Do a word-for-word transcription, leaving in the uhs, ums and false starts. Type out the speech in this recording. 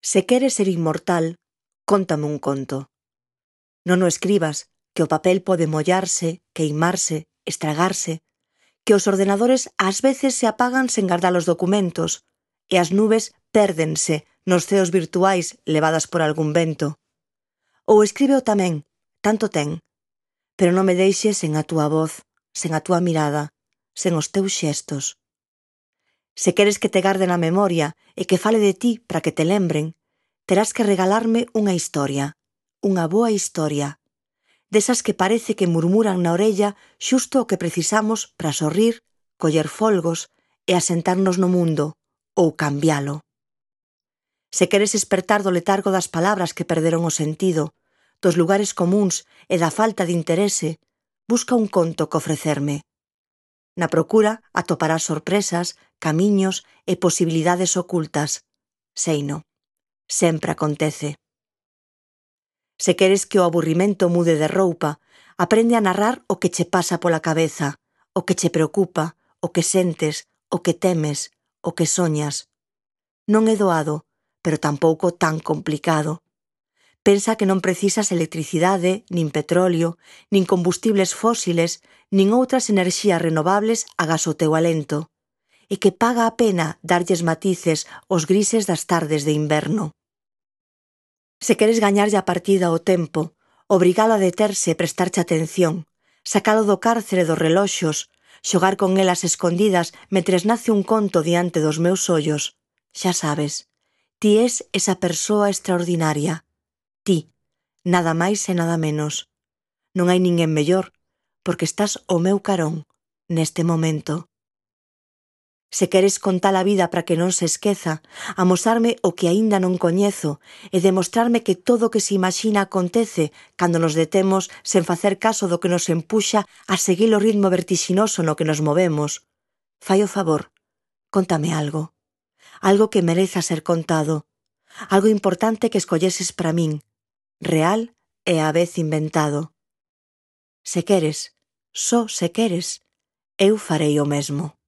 Se queres ser inmortal, cóntame un conto. Non o escribas, que o papel pode mollarse, queimarse, estragarse, que os ordenadores ás veces se apagan sen gardar os documentos e as nubes pérdense nos ceos virtuais levadas por algún vento. Ou escríbeo tamén, tanto ten, pero non me deixes sen a túa voz, sen a túa mirada, sen os teus xestos. Se queres que te garde na memoria e que fale de ti para que te lembren, terás que regalarme unha historia, unha boa historia, desas que parece que murmuran na orella xusto o que precisamos para sorrir, coller folgos e asentarnos no mundo, ou cambialo. Se queres espertar do letargo das palabras que perderon o sentido, dos lugares comúns e da falta de interese, busca un conto que ofrecerme. Na procura atoparás sorpresas, camiños e posibilidades ocultas. Seino, sempre acontece. Se queres que o aburrimento mude de roupa, aprende a narrar o que che pasa pola cabeza, o que che preocupa, o que sentes, o que temes, o que soñas. Non é doado, pero tampouco tan complicado. Pensa que non precisas electricidade, nin petróleo, nin combustibles fósiles, nin outras enerxías renovables agás o teu alento, e que paga a pena darlles matices aos grises das tardes de inverno. Se queres gañarlle a partida ao tempo, obrigalo a deterse e prestarche atención, sacalo do cárcere dos reloxos, xogar con elas escondidas mentres nace un conto diante dos meus ollos, xa sabes, ti es esa persoa extraordinaria. Ti, nada máis e nada menos. Non hai ninguén mellor, porque estás ao meu carón, neste momento. Se queres contar a vida para que non se esqueza, amosarme o que aínda non coñezo e demostrarme que todo o que se imagina acontece cando nos detemos sen facer caso do que nos empuxa a seguir o ritmo vertixinoso no que nos movemos, fai o favor, cóntame algo. Algo que mereza ser contado. Algo importante que escolleses para min, real e á vez inventado. Se queres, só se queres, eu farei o mesmo.